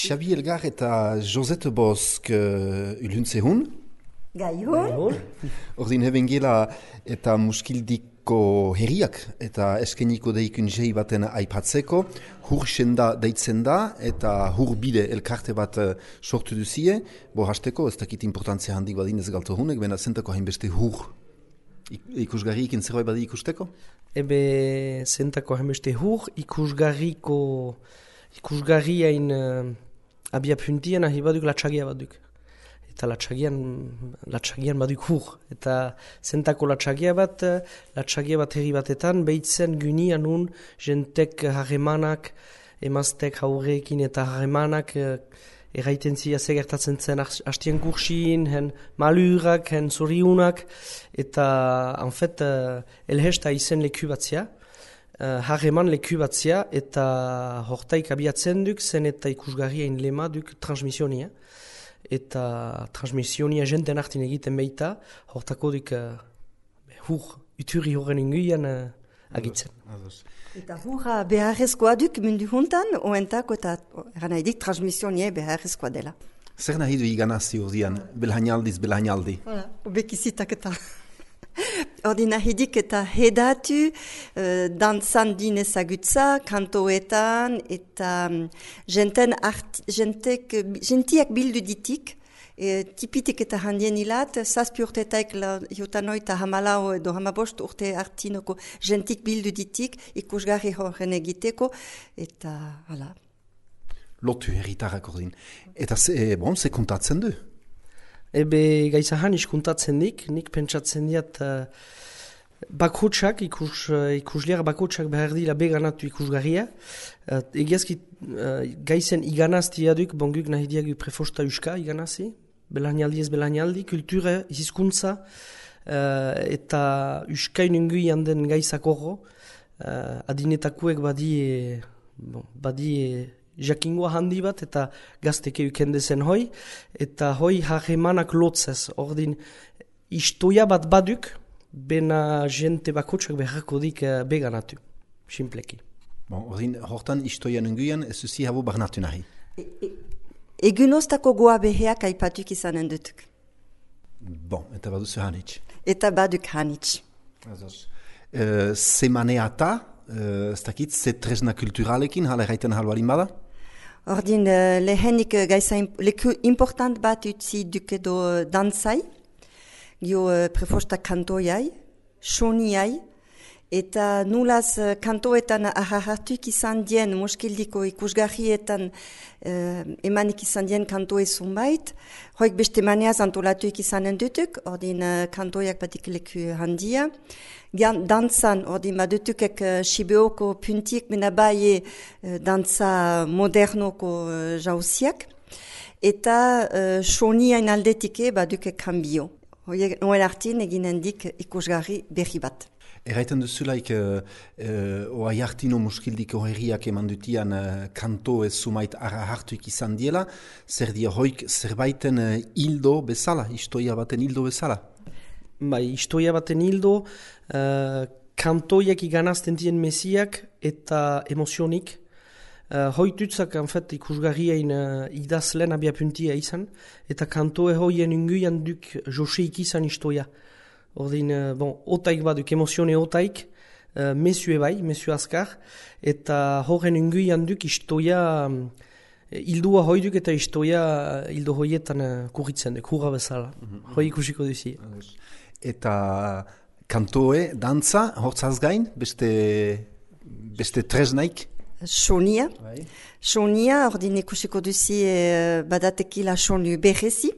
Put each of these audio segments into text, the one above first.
Xabi Elgar eta Josette Bosk uluntzehun. Gaihun. Ordin heben gela eta muskildiko herriak eta eskeniko deikun jei baten aipatzeko. Hur senda deitzen da eta hur bide elkarte bat sortu duzie. Bo hasteko ez dakit importantzia handik badin ez galto hunek, bena zentako hainbeste hur ikusgarri ikin zerbait badi ikusteko? Ebe zentako hainbeste hur ikusgarriain abia puntien ahi baduk latxagia baduk. Eta latxagian baduk hur. Eta zentako latxagia bat herri batetan, behitzen gynian un jentek harremanak, emaztek haurekin eta harremanak erraiten zia segertatzen zen hastien kursin, hen malurak, hen zoriunak, eta en fait elhesta izen leku batzia, harreman leku batzia, eta hortaik abiatzen duk, zen eta ikusgarrien lema duk transmisionia. Eta transmisionia jenten hartin egiten behita, hortako duk uturi horren inguian agitzen. Eta hurra beharrezkoa duk mundu juntan, oentako eta gana edik transmisionia beharrezkoa dela. Zer nahi du iganazti ordian, belhainaldi? Voilà, obekizitak eta... Ordi nahidik eta hedatu, dantzan din ezagutza, kantoetan, eta jentiak bildu ditik, tipitik eta handien hilat, 7 urtetaik jutano eta hamalau edo hamabost urte hartinoko jentik bildu ditik, ikusgarri horren egiteko, eta hala. Lotu herritarrak ordin. Eta ze kontatzen du? Ebe gaizahan iskuntatzen nik pentsatzen diat bakotsak, ikusliar bakotsak behar dira beganatu ikusgarria. Egiazki gaizen iganaztia duk, bonguk nahi diagu prefosta uska iganazi, belainaldi, kultura, hizkuntza, eta uskain ungui handen gaizak horro, adinetakuek badi jakingoa handi bat eta gazteke ukendezen hoi, eta hoi harremanak lotzez, ordin istoia bat baduk, bena jente bakotsak beharko dik beganatu, simpleki. Ordin hortan istoian unguian ez zuzi habo barnatu nahi? Egunoztako goa beheak aipatuk izanen dutuk. Eta baduzu hanitz? Eta baduk hanitz. Zemaneata, ez dakit, ze tresna kulturalekin, hala erraiten halbarin bada? Ordin, lehenik leku important bat utzi duk edo dantzai, gio prefosta kantoiai, soniai, eta nulaz kantoetan ahartuk izan dien, muskildiko ikusgarrietan emanik izan dien kantoe zunbait, hoik beste maneaz antolatuik izanen dutuk, ordin kantoiak batik leku handia. Dantzan, ordin badutukek Sibeoko puntiek menabai dantza modernoko jauziak, eta soniain aldetike badukek kanbio. Hoen hartin eginen dik ikusgarri berri bat. Erraiten duzulaik oai hartino muskildiko herriak eman dutian kanto ez sumait ara hartuik izan diela, zer dia hoik zerbaiten hildo bezala, istoia baten hildo bezala? Bai, istoia baten hildo, kantoiak iganazten dien mesiak eta emozionik. Hoitutzak, ikusgarriain idazlen abiapuntia izan, eta kantoe hoien unguian duk joseik izan istoia. Ordin, otaik baduk, emozione otaik, mesue bai, mesue azkar, eta horren unguian duk istoia, hildua hoiduk eta istoia hildo hoietan kurritzen duk, hurra bezala. Hoi ikusiko duzi. Eta kantoe, dantza, hortzaz gain, beste tresnaik? Sonia. Sonia, ordin ikusiko duzi badatekila sonu berrezi.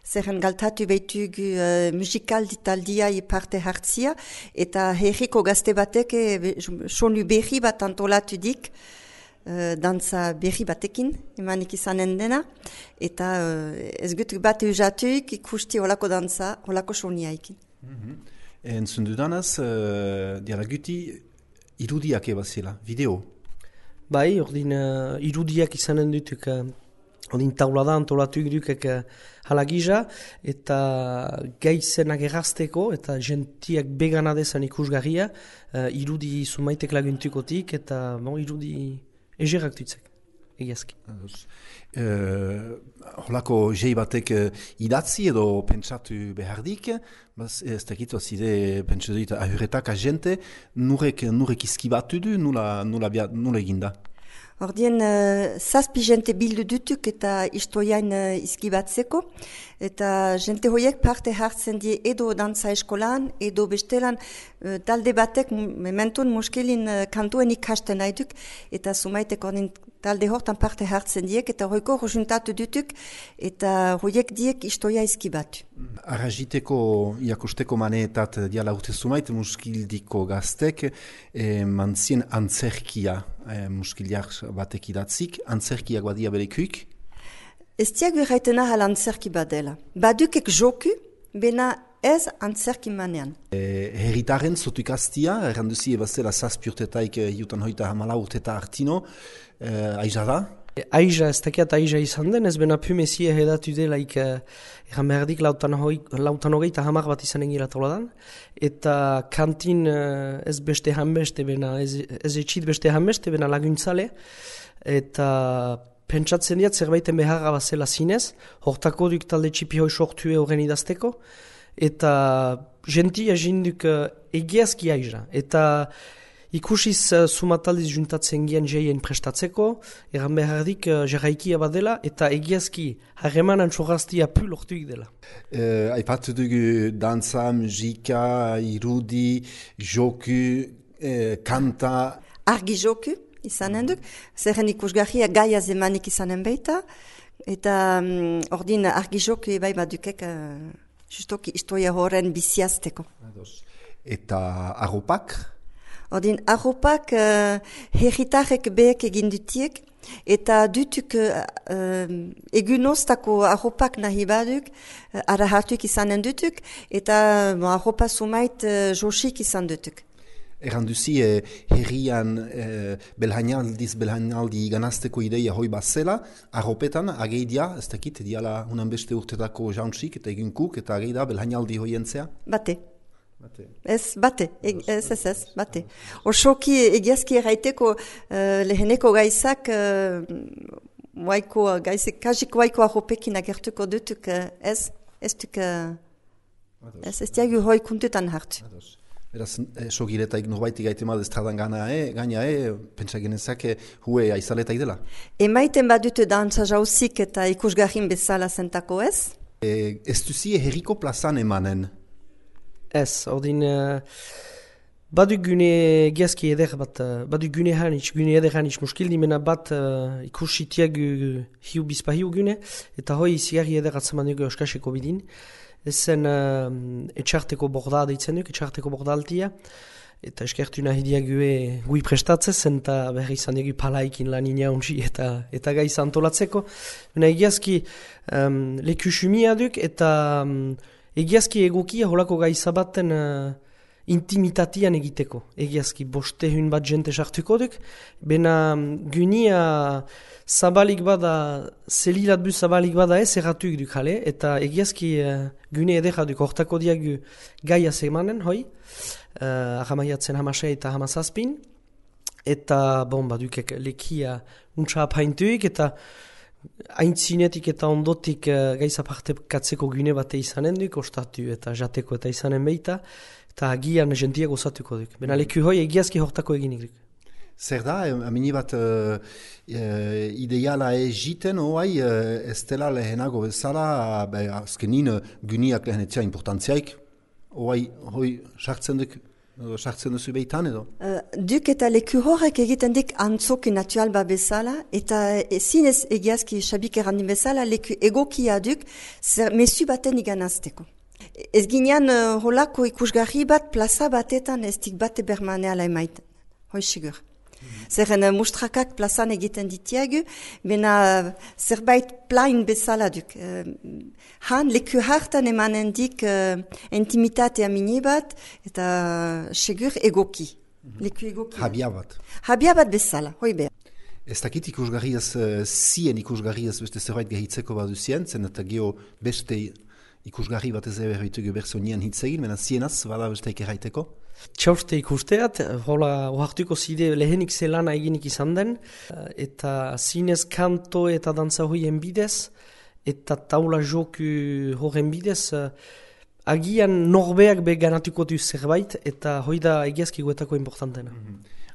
Zerren galtatu behitugu musikal ditaldia parte hartzia, eta herriko gazte batek sonu berri bat antolatu dik, dantza berri batekin, emanik izanen dena, eta ez gutuk bat eusatuik ikusti holako dantza, holako soniaikin. Entzun dudanaz, diala guti irudiak ebazila, video? Bai, ordin irudiak izanen dutuk, ordin taulada antolatu dukek halagiza, eta gaizenak errazteko, eta gentiak begana dezan ikusgarria, irudi sumaitek laguntukotik, eta irudi egerak dutzek. egiazki. Holako jei batek idatzi edo pentsatu behardik, ez dakit zide pentsatu dut ahuretak agente, nurek izkibatu du, nula eginda? Ordien, zazpi jente bildu dutuk eta istoiain izkibatzeko, eta jente hoiek parte hartzen die edo dantza eskolan, edo bestelan talde batek mementun muskilin kantuen ikasten nahi eta sumaitek ordin talde hortan parte hartzen diek, eta hoiko juntatu dutuk, eta hoiek diek istoia izkibatu. Arrajiteko iakusteko maneetat diala urte sumait, muskildiko gaztek, mantzien antzerkia, muskiliak batek idatzik, antzerkiak badia berekuik? Ez diak berraitena hal antzerki badela. Badukek joku, bena ez antzerki manean. Herritaren zotukaztia, erranduzi ebazela zazpiurtetaik jutan hoita hamala urteta artino, aiza da? Aiza, ez dakiat aiza izan den, ez bena pumezie edatu delaik egan behardik lautan hogeita hamar bat izan engiratola dan, eta kantin ez beste hanbeste, bena ez etxit beste hanbeste, bena laguntzale, eta pentsatzen diat zerbaiten beharra bazela zinez, hortako duk talde txipi hoi sortue horren idazteko, eta gentia jinduk egiazki aiza, eta ikusiz sumataldiz juntatzen gian jeien prestatzeko, egan behardik jarraikia badela, eta egiazki harremanan txorraztia pul ortuik dela. Aipatu dugu dantza, musika, irudi, joku, kanta... Argi joku izanen duk, zerren ikusgarria gaia zemanik izanen baita, eta ordin argi joku bai badukek justoki istoia horren biziazteko. Eta arropak? Ordin, arropak herritarek behek egin dutiek, eta dutuk egunoztako arropak nahi baduk, arahartuk izanen dutuk, eta arropa sumait josik izan dutuk. Erranduzi herrian belhainaldi ganazteko ideia hoi bazela, arropetan ageidia, ez dakit, diala unan beste urtetako jauntzik eta egunkuk, eta ageida belhainaldi hoientzea? Bate. Ez, bate, bate. Osoki egiazki erraiteko leheneko gaizak, kajik waiko arropekin agertuko dutuk, ez diagu hoi kuntutan hartu. Beraz, sogiretaik norbaitik gaite mal estradan gaina, pentsa genezak hue aizaletak dela. Emaiten badute dantza jauzik eta ikusgarrin bezala zentako ez? Ez duzie herriko plazan emanen? Ez, ordin, badu gune giazki eder bat, badu gune eder hanitz muskildi mena bat ikusitiak hiu bizpahiu gune, eta hoi zigarri eder atzaman dugu euskaseko bidin. Ezen etxarteko borda deitzen duk, etxarteko borda altia, eta eskertu nahi diague gui prestatzez, eta berri izan dugu palaikin lan inaunzi eta gai antolatzeko. Egiazki leku sumia duk, eta egiazki egokia holako gaizabaten intimitatian egiteko. Egiazki bostehun bat jente sartuko duk, bena gunia zabalik bada, zelilat bu zabalik bada ez erratuik duk jale, eta egiazki gune edera duk hortako diagu gaia zemanen, hoi, ahamaiatzen hamasei eta hamazazpin, eta badukek lekia untsa apaintuik, eta aintzinetik eta ondotik gaiza partekatzeko gune bate izanen duk, ostatu eta jateko eta izanen beita, eta agian jentiak osatuko duk. Bena leku hoi egiazki hortako eginik duk. Zer da, amini bat ideala egiten hoai ez dela lehenago bezala, azkenin guniak lehenetzea importantziaik, hoi sartzen duzu behitan edo? Duk eta leku horrek egiten dik antzoki natural ba bezala, eta zinez egiazki xabik errandin bezala, leku egokia duk mesu baten iganazteko. Ez ginean holako ikusgarri bat plaza batetan ez dik bate bermaneala emaiten, hoi sigur. Zerren mustrakak plazan egiten ditiagu, bena zerbait plain bezala duk. Han leku hartan emanen dik intimitatea mini bat, eta segur egoki. Leku egoki. Habia bat. Habia bat bezala, hoi behar. Ez dakit ikusgarriaz, zien ikusgarriaz beste zerbait gehitzeko baduzien, zen eta geho beste Ikusgarri bat ez berritugu berzonian hitz egin, baina zienaz, bada besteik erraiteko? Txauste ikusteat, hola ohartuko zide lehenik zelana eginik izan den, eta zinez kanto eta dantza hoien bidez, eta taula joku horren bidez, agian norbeak beganatuko du zerbait, eta hoi da egiazki guetako importantena.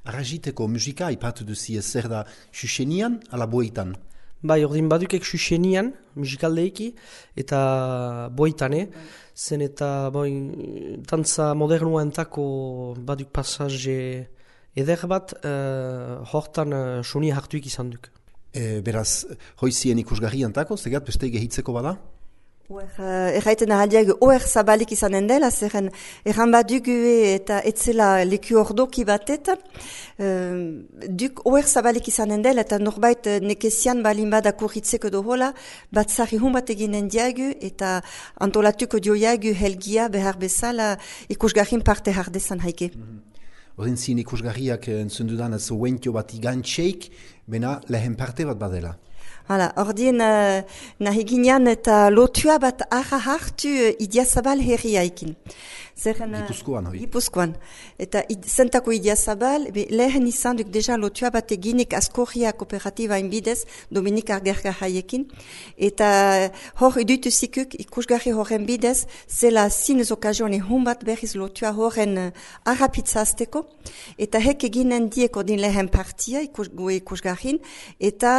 Arrajiteko musika ipatu duzi zer da xuxenian ala boitan? Bai, ordin badukek xuxenian, musikaldeiki, eta boitane, zen eta tantza modernua entako baduk pasaje eder bat, hortan soni hartuik izan duk. Beraz, hoizien ikusgarri antako, zegat beste gehitzeko bada? Erraiten ahaliak oer zabalik izanen dela, zerren erran badugu eta etzela leku ordoki batetan, duk oer zabalik izanen dela eta norbait nekezian balin bada kurritzeko dohola, batzari hun bat eginen diagu eta antolatuko dioiagu helgia behar bezala ikusgarrin parte hardezan haike. Ordin zin ikusgarriak entzundudan ez oentio bat igantxeik, bena lehen parte bat badela. Hala, ordien nahi ginean eta lotua bat arra hartu Idiazabal herriaikin. Gipuzkoan, hoi? Gipuzkoan. Eta zentako Idiazabal, lehen izan duk deja lotua bat eginik Askorria kooperatiba inbidez, Dominik Argerga haiekin. Eta hor idutu zikuk ikusgarri horren bidez, zela zinez okazione hun bat berriz lotua horren arrapitzazteko. Eta hek eginen diek ordin lehen partia ikusgarrin. Eta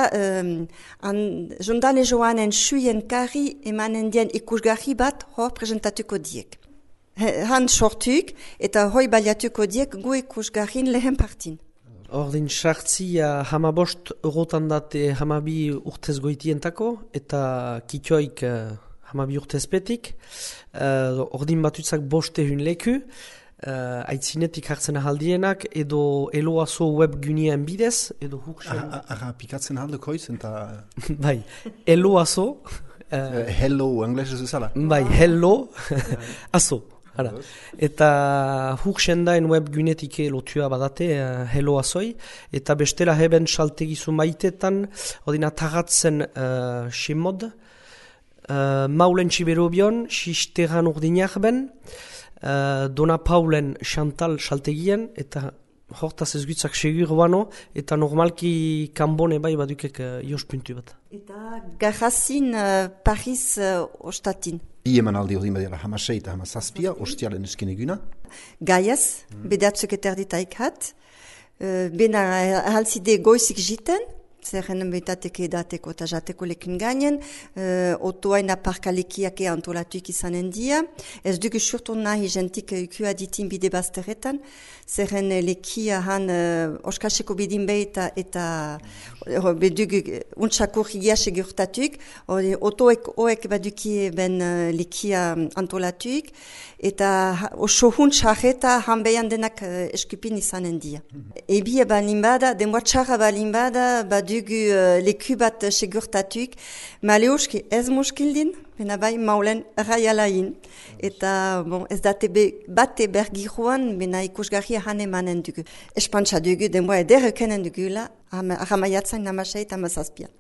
jondane joanen suien kari emanen dien ikusgarri bat hor presentatuko diek. Han sortuk eta hoi baliatuko diek gu ikusgarrin lehen partin. Ordin sartzia hamabost eurotan date hamabi urtez goitientako eta kitioik hamabi urtezpetik. Ordin batutzak boste hun leku. Aitzinetik hartzen ahaldienak edo eloazo webgunien bidez edo huksen... Arra pikatzen ahaldeko izan eta... Bai, eloazo... Hello, anglesez ezala? Bai, hello, azo. Hala. Eta huksen daen webgunetik lotua badate eloazoi eta bestela heben saltegizu maitetan odina tagatzen ximod maulen txiberobion xisteran urdinak ben Dona Paulen Chantal saltegien eta hortaz ez gutzak segur bano eta normalki kanbone bai badukek jospuntu bat. Eta garrazin Paris ostatin. Ieman aldi ordin badira hamasei eta hamazazpia, ostialen esken eguna? Gaiaz, bedatzuk eterditaik hat. Bena halzide goizik jiten, zerren betateke edateko eta jateko lekin gainen, otoain aparkalekiak antolatuik izanen dia. Ez dugu surtu nahi jentik ukua ditin bide bazteretan, zerren lekia han oskaseko bidin behita eta bedugu untsakur higias egurtatuik, otoek oek baduki ben lekia antolatuik, eta oso huntxarreta hanbeian denak eskupin izanen dia. Ebia balin bada, denboa txarra balin bada, badugu leku bat segurtatuik, maleuski ez muskildin, bena bai maulen raialain. Eta ez date bate bergiruan, bena ikusgarria han emanen dugu. Espantsa dugu, denboa eder ekenen dugula, ahamaiatzen namasei eta mazazpian.